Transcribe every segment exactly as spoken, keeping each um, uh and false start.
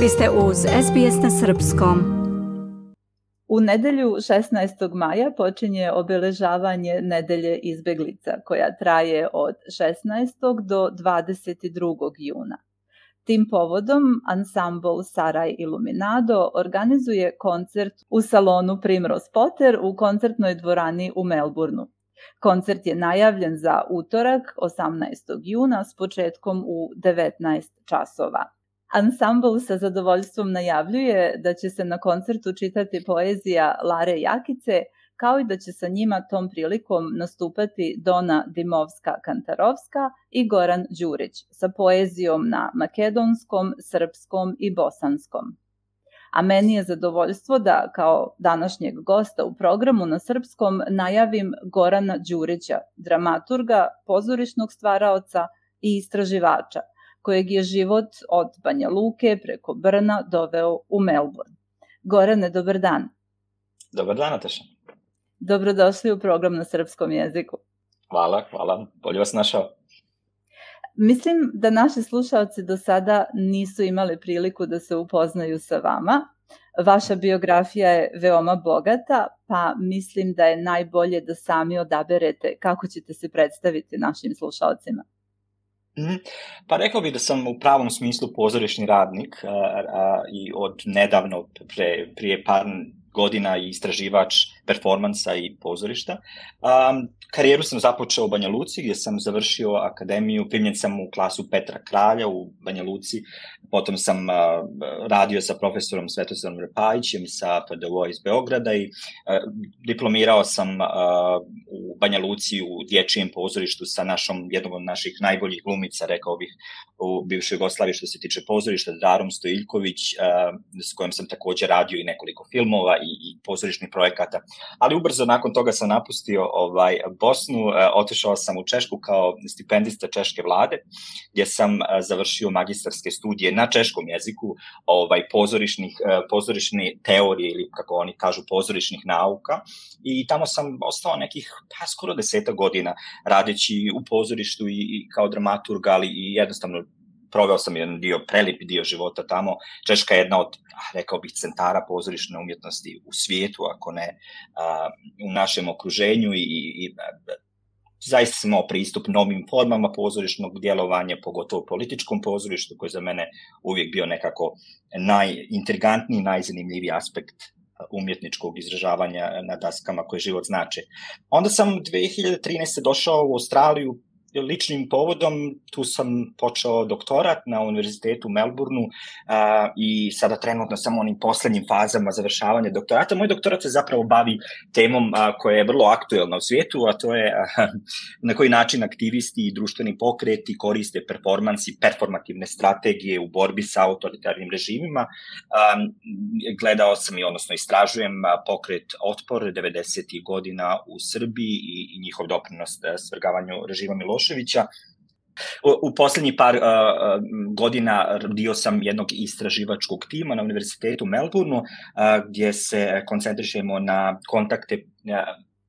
Vi ste uz S B S na srpskom. U nedjelju šesnaestog maja počinje obilježavanje Nedelje izbjeglica, koja traje od šesnaestog do dvadeset drugog juna. Tim povodom ansambl Saraj Iluminado organizuje koncert u salonu Primrose Potter u koncertnoj dvorani u Melbourneu. Koncert je najavljen za utorak, osamnaestog juna, s početkom u devetnaest časova. Ansambl sa zadovoljstvom najavljuje da će se na koncertu čitati poezija Lare Jakice, kao i da će sa njima tom prilikom nastupati Dona Dimovska-Kantarovska i Goran Đurić sa poezijom na makedonskom, srpskom i bosanskom. A meni je zadovoljstvo da kao današnjeg gosta u programu na srpskom najavim Gorana Đurića, dramaturga, pozorišnog stvaraoca i istraživača, kojeg je život od Banja Luke preko Brna doveo u Melbourne. Gorane, dobar dan. Dobar dan, Nataša. Dobrodošli u program na srpskom jeziku. Hvala, hvala. Bolje vas našao. Mislim da naši slušalci do sada nisu imali priliku da se upoznaju sa vama. Vaša biografija je veoma bogata, pa mislim da je najbolje da sami odaberete kako ćete se predstaviti našim slušalcima. Pa rekao bih da sam u pravom smislu pozorišni radnik a, a, i od nedavno, pre, prije par godina i istraživač performansa i pozorišta. Um, karijeru sam započeo u Banja Luci, gdje sam završio akademiju, primljen sam u klasu Petra Kralja u Banja Luci, potom sam uh, radio sa profesorom Svetoslavom Repajićem sa P D U iz Beograda i uh, diplomirao sam uh, u Banja Luci u dječjem pozorištu sa našom, jednom od naših najboljih glumica, rekao bih, u bivšoj Jugoslaviji što se tiče pozorišta, Darom Stojiljković, uh, s kojom sam također radio i nekoliko filmova i, i pozorišnih projekata. Ali ubrzo nakon toga sam napustio ovaj, Bosnu, uh, otišao sam u Češku kao stipendista češke vlade, gdje sam uh, završio magistarske studije na češkom jeziku, ovaj, pozorišnih, uh, pozorišne teorije ili kako oni kažu pozorišnih nauka, i tamo sam ostao nekih pa skoro deseta godina radeći u pozorištu i, i kao dramaturg, ali i jednostavno proveo sam jedan dio, prelipi dio života tamo. Češka je jedna od, rekao bih, centara pozorišne umjetnosti u svijetu, ako ne a, u našem okruženju, i, i zaista sam imao pristup novim formama pozorišnog djelovanja, pogotovo političkom pozorištu, koji za mene uvijek bio nekako najintrigantniji, najzanimljiviji aspekt umjetničkog izražavanja na daskama koje život znače. Onda sam dvije hiljade trinaeste. došao u Australiju ličnim povodom, tu sam počeo doktorat na univerzitetu u Melbourneu a, i sada trenutno sam u onim posljednjim fazama završavanja doktorata. Moj doktorat se zapravo bavi temom a, koja je vrlo aktuelna u svijetu, a to je a, na koji način aktivisti i društveni pokreti koriste performansi, performativne strategije u borbi sa autoritarnim režimima. A, gledao sam i odnosno istražujem pokret Otpor devedesetih godina u Srbiji i, i njihov doprinos svrgavanju režima Miloševića. U, u posljednjih par uh, godina dio sam jednog istraživačkog tima na univerzitetu u Melbourneu, uh, gdje se koncentrišemo na kontakte uh,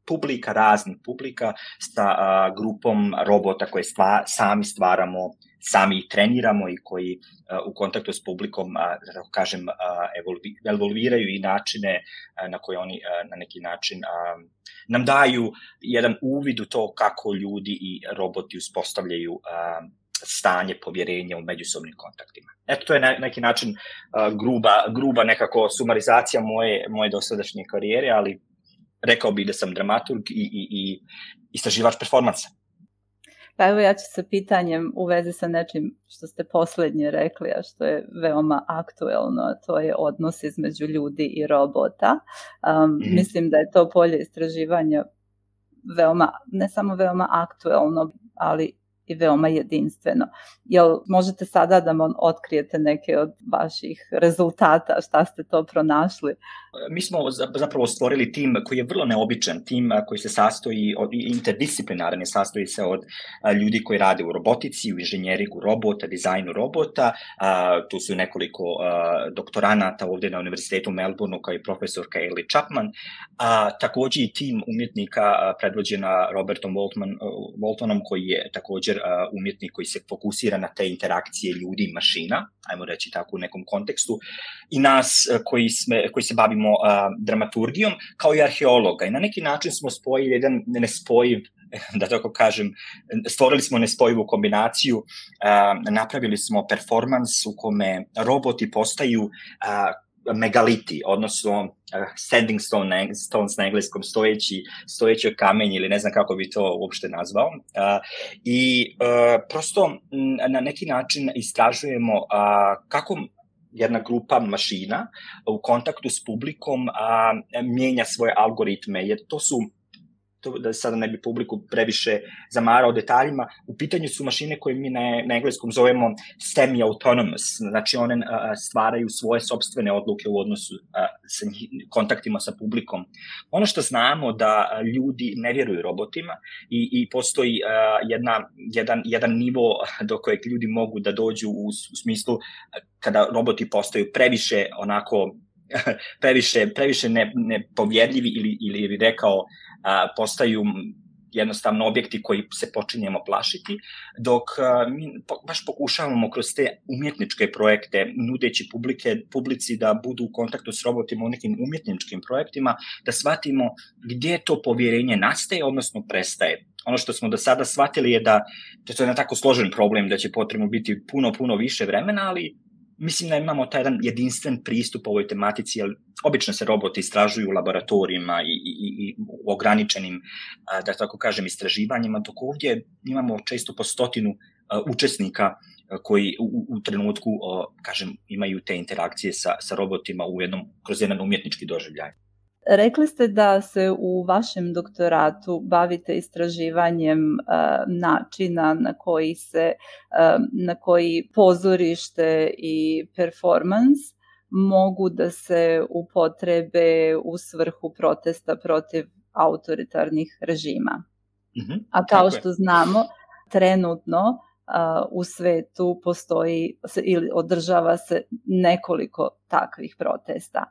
publika, raznih publika, sa uh, grupom robota koje stva, sami stvaramo, sami ih treniramo i koji uh, u kontaktu s publikom, uh, da kažem, uh, evolvi, evolviraju i načine uh, na koje oni uh, na neki način uh, nam daju jedan uvid u to kako ljudi i roboti uspostavljaju uh, stanje povjerenja u međusobnim kontaktima. Eto, to je na neki način uh, gruba, gruba nekako sumarizacija moje, moje dosadašnje karijere, ali rekao bih da sam dramaturg i, i, i istraživač performansa. Pa evo ja ću sa pitanjem u vezi sa nečim što ste posljednje rekli, a što je veoma aktuelno, a to je odnos između ljudi i robota. Um, mm-hmm. Mislim da je to polje istraživanja veoma, ne samo veoma aktuelno, ali i veoma jedinstveno. Jel možete sada da vam otkrijete neke od vaših rezultata, šta ste to pronašli? Mi smo zapravo stvorili tim koji je vrlo neobičan, tim koji se sastoji od interdisciplinaran, sastoji se od ljudi koji rade u robotici, u inženjeriku robota, dizajnu robota. Tu su nekoliko doktoranata ovdje na univerzitetu u Melbourneu, kao i profesorka Ellie Chapman. Također i tim umjetnika predvođena Robertom Waltman, Waltonom, koji je također umjetnik koji se fokusira na te interakcije ljudi i mašina, ajmo reći tako u nekom kontekstu, i nas koji, sme, koji se bavimo dramaturgijom, kao i arheologa. I na neki način smo spojili jedan nespojiv, da tako kažem, stvorili smo nespojivu kombinaciju, napravili smo performans u kome roboti postaju megaliti, odnosno standing stone, stones na engleskom, stojeći, stojeći kamenj ili ne znam kako bi to uopšte nazvao. Uh, I uh, prosto m, na neki način istražujemo uh, kako jedna grupa mašina u kontaktu s publikom uh, mijenja svoje algoritme, jer to su, to da sada ne bi publiku previše zamarao detaljima, u pitanju su mašine koje mi na, na engleskom zovemo semi-autonomous, znači one a, stvaraju svoje sopstvene odluke u odnosu a, sa njih, kontaktima sa publikom. Ono što znamo da ljudi ne vjeruju robotima i, i postoji a, jedna, jedan, jedan nivo do kojeg ljudi mogu da dođu u, u smislu kada roboti postaju previše onako previše, previše ne, nepovjerljivi ili, ili bi rekao a, postaju jednostavno objekti koji se počinjemo plašiti, dok a, mi po, baš pokušavamo kroz te umjetničke projekte, nudeći publike, publici da budu u kontaktu s robotima u nekim umjetničkim projektima, da shvatimo gdje to povjerenje nastaje, odnosno prestaje. Ono što smo do sada shvatili je da, da to je jedan tako složen problem, da će potrebno biti puno, puno više vremena, ali mislim da imamo taj jedan jedinstven pristup ovoj tematici, jer obično se roboti istražuju u laboratorijima i, i, i u ograničenim, da tako kažem, istraživanjima, dok ovdje imamo često po stotinu učesnika koji u, u trenutku, kažem, imaju te interakcije sa, sa robotima u jednom, kroz jedan umjetnički doživljaj. Rekli ste da se u vašem doktoratu bavite istraživanjem uh, načina na koji se uh, na koji pozorište i performance mogu da se upotrebe u svrhu protesta protiv autoritarnih režima. Mm-hmm. A kao što znamo, trenutno uh, u svetu postoji ili održava se nekoliko takvih protesta.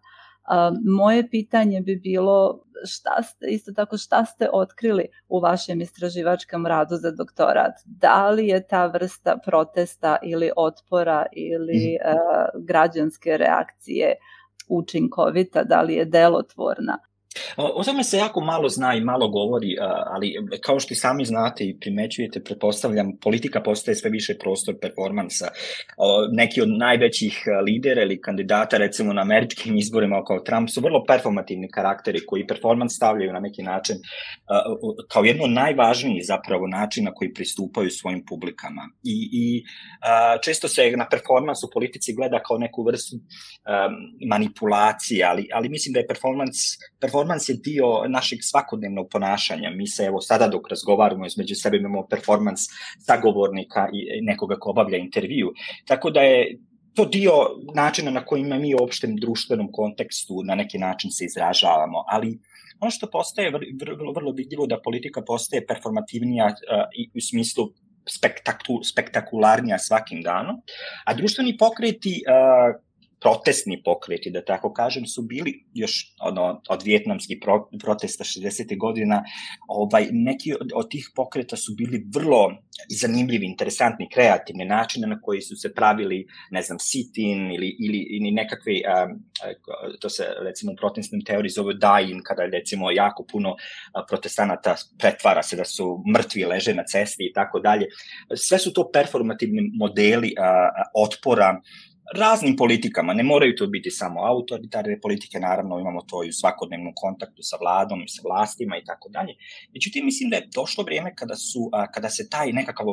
Uh, moje pitanje bi bilo šta ste, isto tako šta ste otkrili u vašem istraživačkom radu za doktorat? Da li je ta vrsta protesta ili otpora ili uh, građanske reakcije učinkovita, da li je delotvorna? O tome se jako malo zna i malo govori, ali kao što i sami znate i primećujete, pretpostavljam, politika postaje sve više prostor performansa. Neki od najvećih lidera ili kandidata, recimo na američkim izborima kao Trump, su vrlo performativni karakteri koji performans stavljaju na neki način kao jedno od najvažnijih zapravo načina koji pristupaju svojim publikama. I, i često se na performans u politici gleda kao neku vrstu manipulacije, ali, ali mislim da je performans, performans Performans je dio našeg svakodnevnog ponašanja. Mi se evo sada dok razgovaramo između sebe imamo performans sagovornika i nekoga ko obavlja intervju. Tako da je to dio načina na koji mi u opštem društvenom kontekstu na neki način se izražavamo. Ali ono što postaje vrlo, vrlo vidljivo da politika postaje performativnija uh, i u smislu spektaku, spektakularnija svakim danom, a društveni pokreti uh, protestni pokreti, da tako kažem, su bili još ono, od vijetnamskih pro, protesta šezdesetih godina, ovaj, neki od, od tih pokreta su bili vrlo zanimljivi, interesantni, kreativni načine na koji su se pravili, ne znam, sit-in ili, ili, ili nekakve, um, to se recimo u protestnim teoriji zove die-in, kada recimo jako puno protestanata pretvara se da su mrtvi, leže na cesti i tako dalje. Sve su to performativni modeli uh, otpora raznim politikama, ne moraju to biti samo autoritarne politike, naravno imamo to i u svakodnevnom kontaktu sa vladom i sa vlastima i tako dalje. Međutim, mislim da je došlo vrijeme kada, su, kada se taj nekakav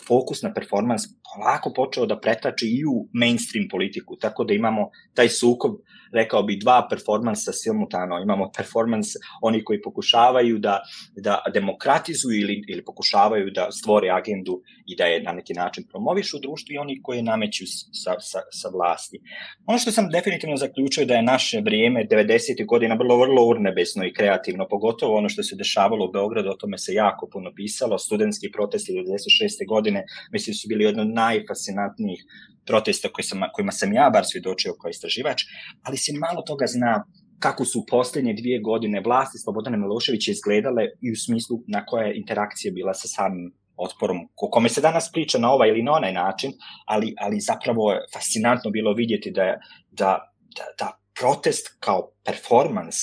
fokus na performans polako počeo da pretače i u mainstream politiku, tako da imamo taj sukob, rekao bi, dva performansa simultano. Imamo performans oni koji pokušavaju da, da demokratizuju ili, ili pokušavaju da stvore agendu i da je na neki način promovišu u društvu i oni koji nameću sa, sa, sa vlasti. Ono što sam definitivno zaključio da je naše vrijeme devedesetih godina vrlo, vrlo urnebesno i kreativno, pogotovo ono što se dešavalo u Beogradu, o tome se jako puno pisalo, studentski protesti devedeset šeste godine, mislim su bili jedno od najfascinantnijih protesta koji sam, kojima sam ja bar svjedočio kao istraživač, ali se malo toga zna kako su posljednje dvije godine vlasti Slobodana Miloševića izgledale i u smislu na koja je interakcija bila sa samim otporom, o kome se danas priča na ovaj ili na onaj način, ali, ali zapravo je fascinantno bilo vidjeti da, da, da, da protest kao performans,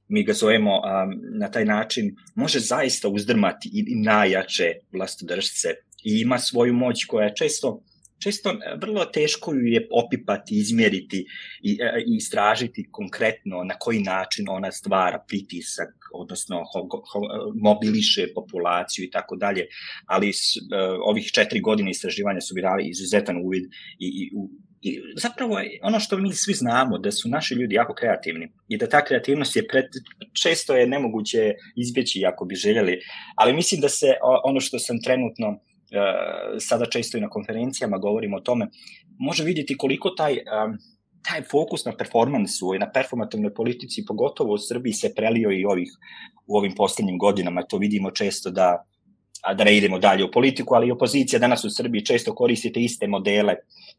mi ga zovemo um, na taj način, može zaista uzdrmati i, i najjače vlastodržce i ima svoju moć koja je često Često vrlo teško ju je opipati, izmjeriti i, i istražiti konkretno na koji način ona stvara pritisak, odnosno ho, ho, mobiliše populaciju i tako dalje, ali s, uh, ovih četiri godine istraživanja su mi dali izuzetan uvid i, i, i zapravo je ono što mi svi znamo, da su naši ljudi jako kreativni i da ta kreativnost je pred, često je nemoguće izbjeći ako bi željeli, ali mislim da se ono što sam trenutno Uh, sada često i na konferencijama govorimo o tome, može vidjeti koliko taj, um, taj fokus na performansu i na performativnoj politici, pogotovo u Srbiji, se prelio i ovih, u ovim posljednjim godinama. To vidimo često da, a da ne idemo dalje u politiku, ali i opozicija danas u Srbiji često koristite iste modele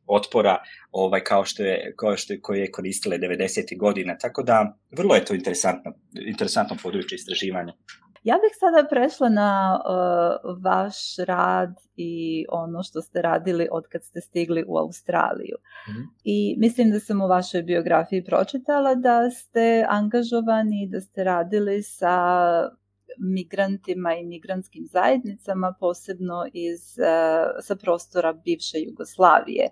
otpora ovaj, kao što je, kao što je, koje je koristile devedesetih godina. Tako da vrlo je to interesantno, interesantno područje istraživanja. Ja bih sada prešla na uh, vaš rad i ono što ste radili od kad ste stigli u Australiju. Mm-hmm. I mislim da sam u vašoj biografiji pročitala da ste angažovani, da ste radili sa migrantima i migrantskim zajednicama, posebno iz, uh, sa prostora bivše Jugoslavije.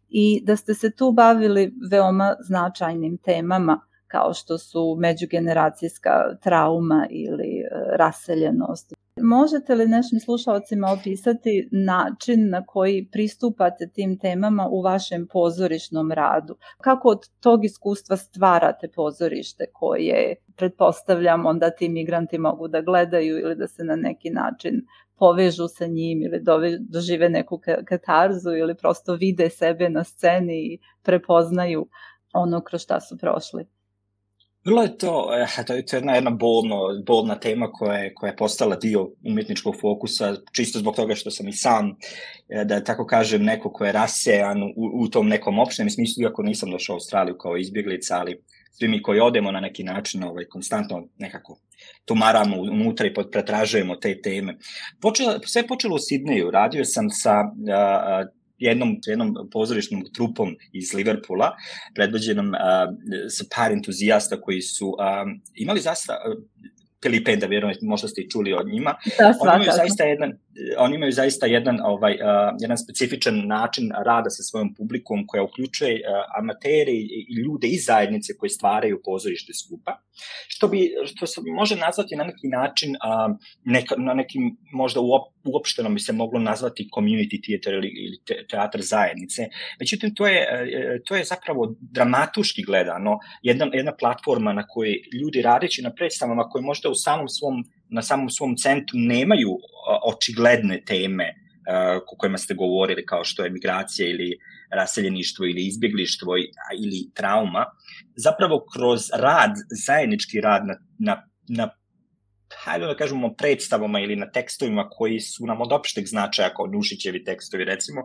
I da ste se tu bavili veoma značajnim temama, kao što su međugeneracijska trauma ili raseljenost. Možete li našim slušalcima opisati način na koji pristupate tim temama u vašem pozorišnom radu? Kako od tog iskustva stvarate pozorište koje, pretpostavljam, onda ti migranti mogu da gledaju ili da se na neki način povežu sa njim ili dožive neku katarzu ili prosto vide sebe na sceni i prepoznaju ono kroz šta su prošli? Vrlo je to, to je jedna, jedna bolno, bolna tema koja je, koja je postala dio umjetničkog fokusa, čisto zbog toga što sam i sam, da tako kažem, neko ko je rasejan u, u tom nekom opštem smislu, iako nisam došao u Australiju kao izbjeglica, ali svi mi koji odemo na neki način ovaj, konstantno nekako tumaramo unutra i pretražujemo te teme. Počelo, sve je počelo u Sidneju, radio sam sa a, jednom, jednom pozorišnom trupom iz Liverpoola, predvođenom uh, sa par entuzijasta koji su uh, imali zaista uh, Filipe, da vjerujem, možda ste i čuli od njima. Da, oni imaju zaista jedan, oni imaju zaista jedan, ovaj, uh, jedan specifičan način rada sa svojom publikom koja uključuje uh, amateri i ljude iz zajednice koji stvaraju pozorište skupa. Što bi, što se može nazvati na neki način, uh, neka, na nekim možda uop, uopšteno bi se moglo nazvati community theater ili, ili te, teatr zajednice. Međutim, to je, uh, to je zapravo dramatuški gledano jedna, jedna platforma na kojoj ljudi radeći na predstavama koje možda u samom svom, na samom svom centru nemaju uh, očigledne teme uh, o kojima ste govorili, kao što je migracija ili raseljeništvo ili izbjeglištvo ili trauma, zapravo kroz rad, zajednički rad na, na, na hajde da kažemo predstavama ili na tekstovima koji su nam od opšteg značaja, kao Nušićevi tekstovi recimo,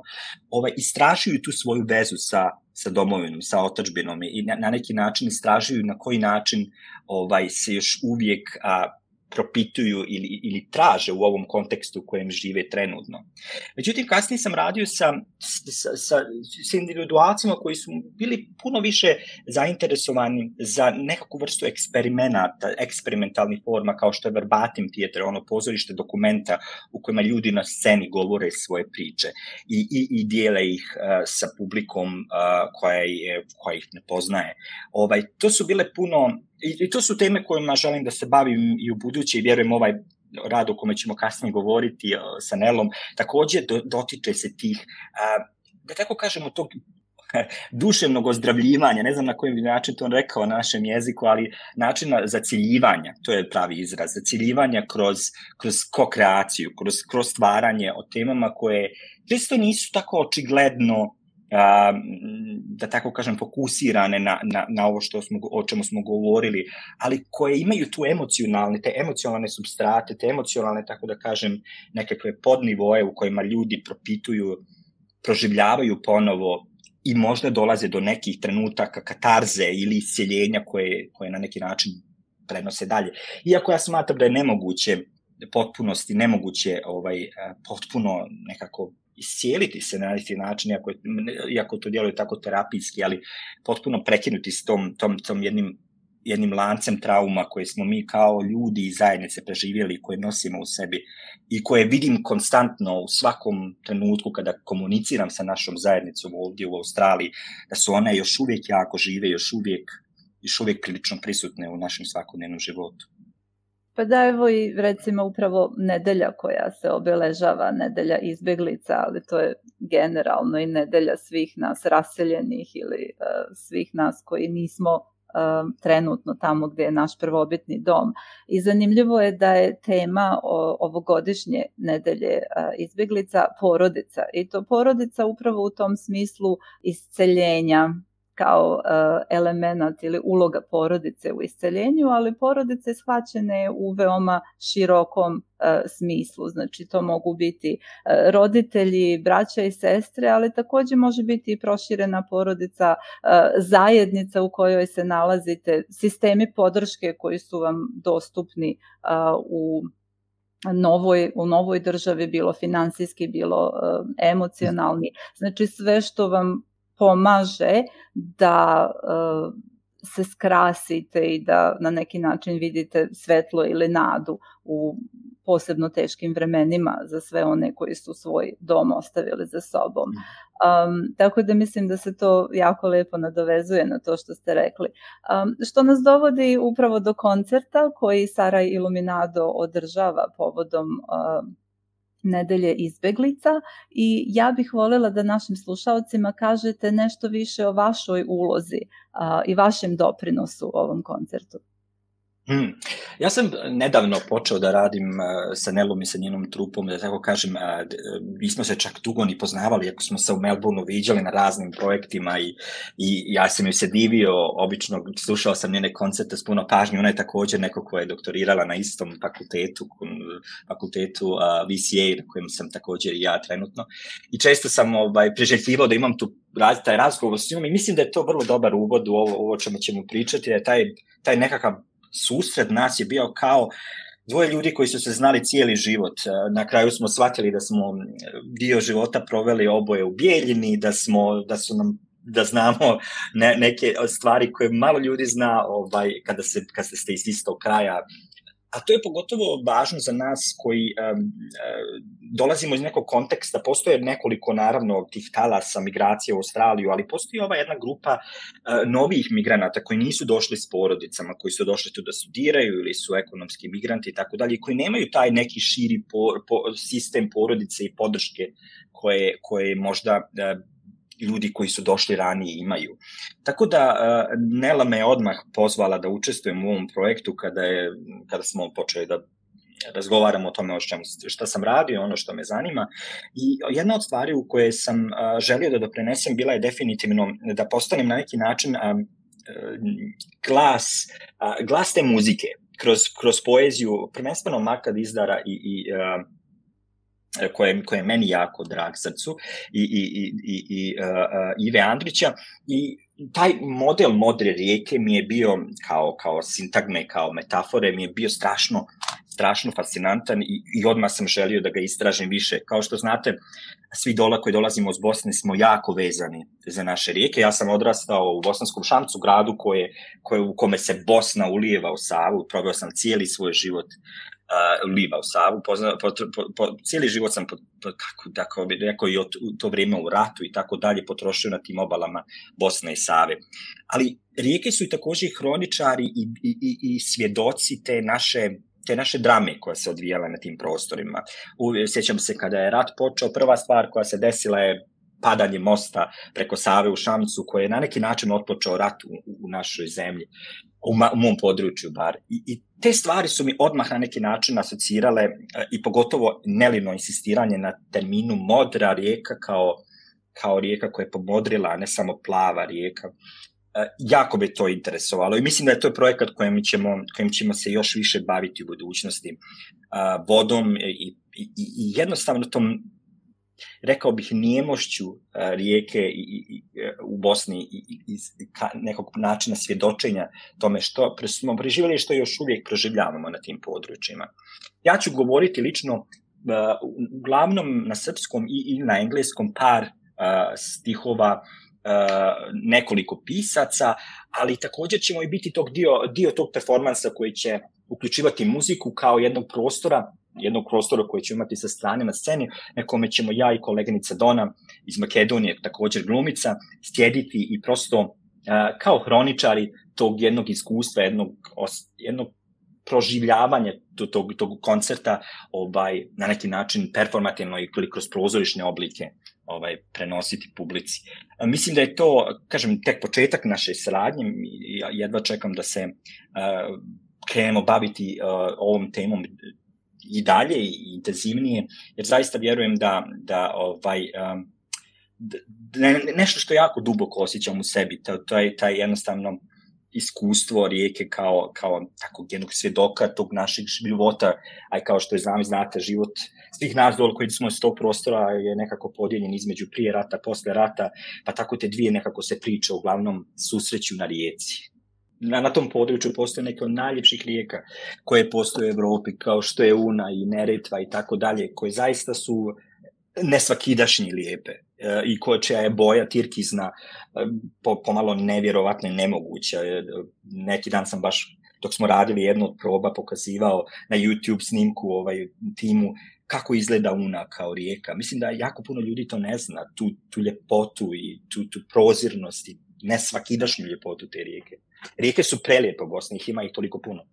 ovaj, istražuju tu svoju vezu sa, sa domovinom, sa otadžbinom i na, na neki način istražuju na koji način ovaj, se još uvijek a, propituju ili, ili traže u ovom kontekstu u kojem žive trenutno. Međutim, kasnije sam radio sa, sa, sa, sa individualcima koji su bili puno više zainteresovani za nekakvu vrstu eksperimenata, eksperimentalnih forma kao što je verbatim teater, ono pozorište dokumenta u kojima ljudi na sceni govore svoje priče i, i, i dijele ih uh, sa publikom uh, koja, je, koja ih ne poznaje. Ovaj, to su bile puno I, I to su teme kojima želim da se bavim i u buduće i vjerujem ovaj rad o kome ćemo kasnije govoriti uh, sa Nelom, također do, dotiče se tih, uh, da tako kažemo, tog duševnog ozdravljivanja, ne znam na koji način to on rekao na našem jeziku, ali načina zaciljivanja, to je pravi izraz, zaciljivanja kroz, kroz ko-kreaciju, kroz, kroz stvaranje o temama koje često nisu tako očigledno Uh, da tako kažem fokusirane na, na, na ovo što smo, o čemu smo govorili, ali koje imaju tu emocionalne, te emocionalne supstrate, te emocionalne, tako da kažem, nekakve podnivoje u kojima ljudi propituju, proživljavaju ponovo i možda dolaze do nekih trenutaka katarze ili isceljenja koje, koje na neki način prenose dalje. Iako ja smatram da je nemoguće potpunosti nemoguće ovaj, potpuno nekako iscijeliti se na neki način, iako, iako to djeluje tako terapijski, ali potpuno prekinuti s tom, tom, tom jednim, jednim lancem trauma koje smo mi kao ljudi i zajednice preživjeli, koje nosimo u sebi i koje vidim konstantno u svakom trenutku kada komuniciram sa našom zajednicom ovdje u Australiji, da su one još uvijek jako žive, još uvijek, još uvijek prilično prisutne u našem svakodnevnom životu. Pa da, evo i recimo upravo nedelja koja se obeležava, nedelja izbjeglica, ali to je generalno i nedelja svih nas raseljenih ili uh, svih nas koji nismo uh, trenutno tamo gdje je naš prvobitni dom. I zanimljivo je da je tema o, ovogodišnje nedelje uh, izbjeglica porodica. I to porodica upravo u tom smislu isceljenja, kao uh, element ili uloga porodice u isceljenju, ali porodice shvaćene u veoma širokom uh, smislu. Znači to mogu biti uh, roditelji, braća i sestre, ali također može biti i proširena porodica, uh, zajednica u kojoj se nalazite, sistemi podrške koji su vam dostupni uh, u Novoj, u novoj državi, bilo financijski, bilo uh, emocionalni. Znači sve što vam pomaže da uh, se skrasite i da na neki način vidite svetlo ili nadu u posebno teškim vremenima za sve one koji su svoj dom ostavili za sobom. Um, tako da mislim da se to jako lijepo nadovezuje na to što ste rekli. Um, što nas dovodi upravo do koncerta koji Saraj Iluminado održava povodom uh, nedelje izbjeglica i ja bih voljela da našim slušalcima kažete nešto više o vašoj ulozi a, i vašem doprinosu ovom koncertu. Hmm. Ja sam nedavno počeo da radim uh, sa Nelom i sa njenom trupom, da tako kažem, uh, mi smo se čak dugo ni poznavali, ako smo se u Melbourneu viđali na raznim projektima i, i ja sam joj se divio, obično slušao sam njene koncerte s puno pažnje, ona je također neko koja je doktorirala na istom fakultetu, fakultetu uh, V C A, na kojem sam također i ja trenutno, i često sam ovaj, priželjkivao da imam tu raz, taj razgovor s njom i mislim da je to vrlo dobar uvod u ovo, ovo čemu ćemo pričati, da je taj, taj nekakav susret nas je bio kao dvoje ljudi koji su se znali cijeli život. Na kraju smo shvatili da smo dio života proveli oboje u Bijeljini, da smo, da su nam da znamo ne, neke stvari koje malo ljudi zna ovaj, kada, se, kada ste iz istog kraja. A to je pogotovo važno za nas koji um, uh, dolazimo iz nekog konteksta. Postoje nekoliko, naravno, tih talasa migracije u Australiju, ali postoji ova jedna grupa uh, novih migranata koji nisu došli s porodicama, koji su došli tu da studiraju ili su ekonomski migranti i tako dalje, koji nemaju taj neki širi po, po, sistem porodice i podrške koje, koje možda uh, ljudi koji su došli ranije imaju. Tako da uh, Nela me odmah pozvala da učestvujem u ovom projektu kada, je, kada smo počeli da razgovaramo o tome o čemu, šta sam radio, ono što me zanima. I jedna od stvari u koje sam uh, želio da doprinesem bila je definitivno da postanem na neki način uh, glas, uh, glas te muzike kroz, kroz poeziju, prvenstveno Marka Dizdara i, i uh, koje, koje je meni jako drag srcu i, i, i, i, i uh, Ive Andrića i taj model modre rijeke mi je bio kao, kao sintagme, kao metafore, mi je bio strašno, strašno fascinantan i, i odmah sam želio da ga istražim više. Kao što znate, svi dola koji dolazimo iz Bosne smo jako vezani za naše rijeke. Ja sam odrastao u Bosanskom Šamcu, gradu koje, koje, u kome se Bosna ulijeva u Savu, proveo sam cijeli svoj život Uh, liva u Savu, pozna, po, po, po, cijeli život sam, po, po, kako, tako bi rekao, i od, u to vrijeme u ratu i tako dalje potrošio na tim obalama Bosne i Save. Ali rijeke su i također i hroničari i, i, i, i svjedoci te naše, te naše drame koja se odvijala na tim prostorima. U, sjećam se kada je rat počeo, prva stvar koja se desila je padanje mosta preko Save u Šamcu, koji je na neki način otpočeo rat u, u našoj zemlji, u, ma, u mom području bar. I, I te stvari su mi odmah na neki način asocirale i pogotovo Nelino insistiranje na terminu modra rijeka kao, kao rijeka koja je pomodrila, a ne samo plava rijeka. Jako bi to interesovalo i mislim da je to projekat kojim ćemo, kojim ćemo se još više baviti u budućnosti. Vodom i, i, i jednostavno tom rekao bih, nijemošću Rijeke i, i, i, u Bosni i, i, i nekog načina svjedočenja tome što smo preživjeli i što još uvijek proživljavamo na tim područjima. Ja ću govoriti lično uh, uglavnom na srpskom i, i na engleskom par uh, stihova uh, nekoliko pisaca, ali također ćemo i biti tog dio, dio tog performansa koji će uključivati muziku kao jednog prostora, jednog prostora koji ćemo imati sa strane na sceni, na kome ćemo ja i koleginica Dona iz Makedonije, također glumica, sjediti i prosto uh, kao hroničari tog jednog iskustva, jednog, jednog proživljavanja tog, tog koncerta ovaj, na neki način performativno i kroz prozorišne oblike ovaj, prenositi publici. Uh, mislim da je to, kažem, tek početak naše saradnje. Ja jedva čekam da se uh, krenemo baviti uh, ovom temom i dalje i intenzivnije, jer zaista vjerujem da, da ovaj, um, ne, nešto što jako duboko osjećam u sebi, to, to je taj jednostavno iskustvo Rijeke kao, kao takvog jednog svjedoka tog našeg života, a kao što je znam, znate, život svih nas dole koji smo iz tog prostora je nekako podijeljen između prije rata, posle rata, pa tako te dvije nekako se priče uglavnom susreću na Rijeci. Na, na tom području postoje neke od najljepših rijeka koje postoje u Evropi, kao što je Una i Neretva i tako dalje, koje zaista su nesvakidašnji lijepe e, i koje čija je boja tirkizna e, po, pomalo nevjerovatno i nemoguća. E, neki dan sam baš, dok smo radili jednu od proba, pokazivao na YouTube snimku ovaj timu kako izgleda Una kao rijeka. Mislim da jako puno ljudi to ne zna, tu, tu ljepotu i tu, tu prozirnost i nesvakidašnju ljepotu te rijeke. Rijeke su prelijepe u Bosni, ih ima ih toliko puno.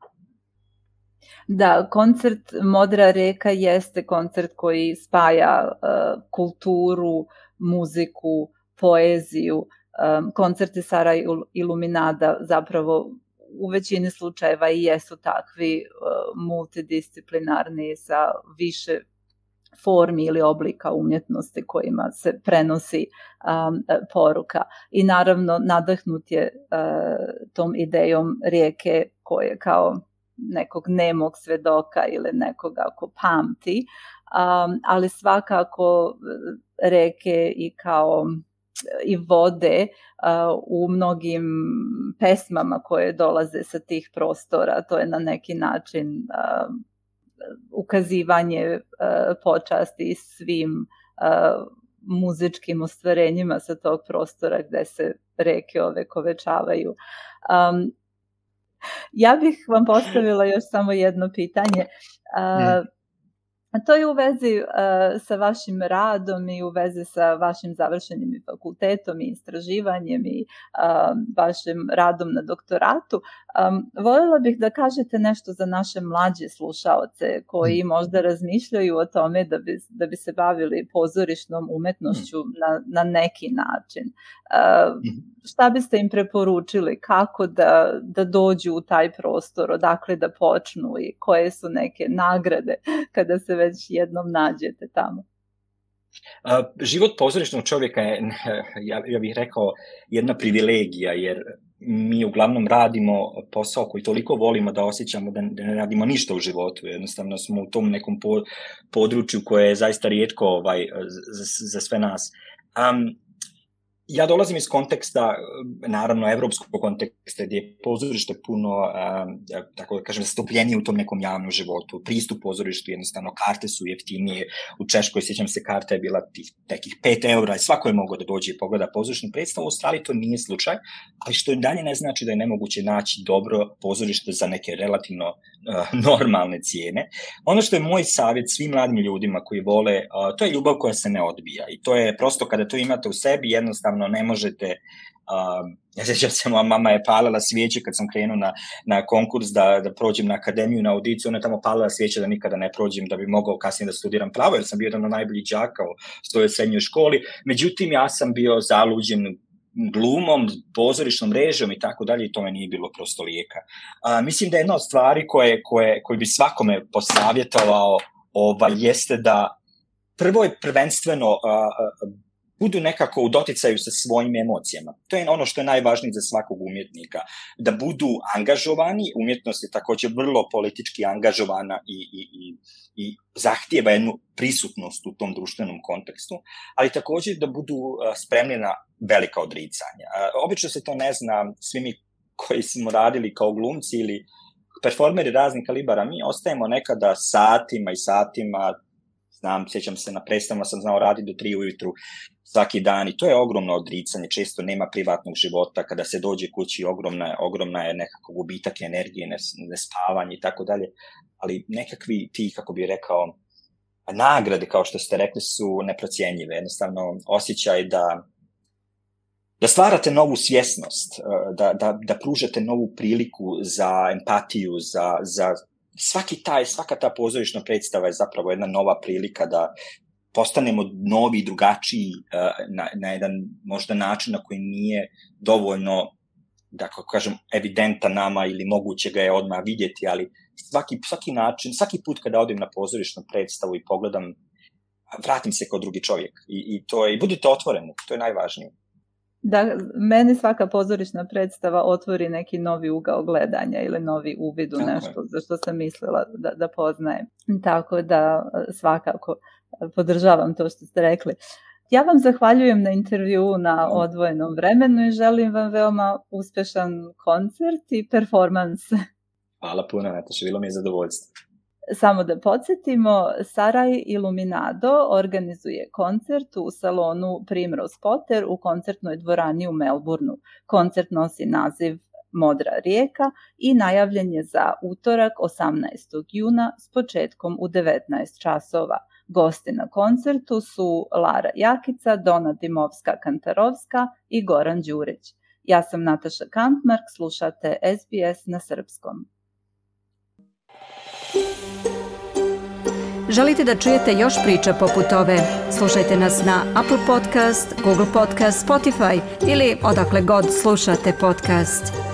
Da, koncert Modra reka jeste koncert koji spaja uh, kulturu, muziku, poeziju. Um, koncerti Sara Iluminada zapravo u većini slučajeva i jesu takvi uh, multidisciplinarni sa više formi ili oblika umjetnosti kojima se prenosi um, poruka. I naravno nadahnut je uh, tom idejom rijeke koje kao nekog nemog svedoka ili nekoga ko pamti, um, ali svakako reke i kao i vode uh, u mnogim pesmama koje dolaze sa tih prostora, to je na neki način uh, ukazivanje uh, počasti svim uh, muzičkim ostvarenjima sa tog prostora gde se reke ovekovečavaju. Um, ja bih vam postavila još samo jedno pitanje. Uh, To je u vezi uh, sa vašim radom i u vezi sa vašim završenim fakultetom i istraživanjem i uh, vašim radom na doktoratu. Um, voljela bih da kažete nešto za naše mlađe slušaoce koji možda razmišljaju o tome da bi, da bi se bavili pozorišnom umetnošću na, na neki način. Uh, šta biste im preporučili? Kako da, da dođu u taj prostor? Odakle da počnu i koje su neke nagrade kada se već jednom nađete tamo? Uh, život pozorišnog čovjeka je, ja, ja bih rekao, jedna privilegija, jer mi uglavnom radimo posao koji toliko volimo da osjećamo da, da ne radimo ništa u životu. Jednostavno smo u tom nekom po, području koje je zaista rijetko ovaj, za, za sve nas. Um, Ja dolazim iz konteksta, naravno, evropskog konteksta, gdje je pozorište puno, um, tako da kažem, zastupljenije u tom nekom javnom životu. Pristup pozorištu, jednostavno, karte su jeftinije. U Češkoj, sjećam se, karta je bila tih nekih pet eura i svako je mogao da dođe i pogleda pozorišnu predstavu. U Australiji to nije slučaj, ali što dalje ne znači da je nemoguće naći dobro pozorište za neke relativno uh, normalne cijene. Ono što je moj savjet svim mladim ljudima koji vole, uh, to je ljubav koja se ne odbija. I to je prosto kada to imate u sebi, jednostavno ne možete, uh, ja sjećam se, moja mama je palila svijeće kad sam krenuo na, na konkurs da, da prođem na akademiju, na audiciju, ona je tamo palila svijeće da nikada ne prođem, da bi mogao kasnije da studiram pravo, jer sam bio jedan od najboljih đaka u svojoj srednjoj školi. Međutim, ja sam bio zaluđen glumom, pozorišnom režijom i tako dalje i tome nije bilo prosto lijeka. Uh, mislim da je jedna od stvari koje, koje, koje bi svakome posavjetovao ovaj, jeste da prvo je prvenstveno uh, budu nekako u doticaju sa svojim emocijama. To je ono što je najvažnije za svakog umjetnika. Da budu angažovani, umjetnost je također vrlo politički angažovana i, i, i, i zahtijeva jednu prisutnost u tom društvenom kontekstu, ali također da budu spremni na velika odricanja. Obično se to ne zna, svi mi koji smo radili kao glumci ili performeri raznih kalibara, mi ostajemo nekada satima i satima, znam, sjećam se na predstavama, sam znao raditi do tri ujutru svaki dan i to je ogromno odricanje, često nema privatnog života, kada se dođe kući ogromna, ogromna je nekako gubitak energije, nespavanje i tako dalje, ali nekakvi ti, kako bih rekao, nagrade, kao što ste rekli, su neprocjenjive, jednostavno osjećaj da da stvarate novu svjesnost, da, da, da pružate novu priliku za empatiju, za, za svaki taj, svaka ta pozorišna predstava je zapravo jedna nova prilika da postanemo novi, drugačiji na, na jedan možda način na koji nije dovoljno, da kako kažem, evidentan nama ili moguće ga je odmah vidjeti, ali svaki, svaki način, svaki put kada odem na pozorišnu predstavu i pogledam, vratim se kao drugi čovjek i, i, to je, i budite otvoreni, to je najvažnije. Da, meni svaka pozorišna predstava otvori neki novi ugao gledanja ili novi uvid u nešto za što sam mislila da, da poznajem. Tako da svakako podržavam to što ste rekli. Ja vam zahvaljujem na intervju na odvojenom vremenu i želim vam veoma uspješan koncert i performans. Hvala puno, Nataša, bilo mi je zadovoljstvo. Samo da podsjetimo, Saraj Iluminado organizuje koncert u salonu Primrose Potter u koncertnoj dvorani u Melbourneu. Koncert nosi naziv Modra rijeka i najavljen je za utorak osamnaestog juna s početkom u devetnaest časova. Gosti na koncertu su Lara Jakica, Dona Dimovska-Kantarovska i Goran Đurić. Ja sam Nataša Kantmark, slušate S B S na srpskom. Želite da čujete još priča poput ove? Slušajte nas na Apple Podcast, Google Podcast, Spotify ili odakle god slušate podcast.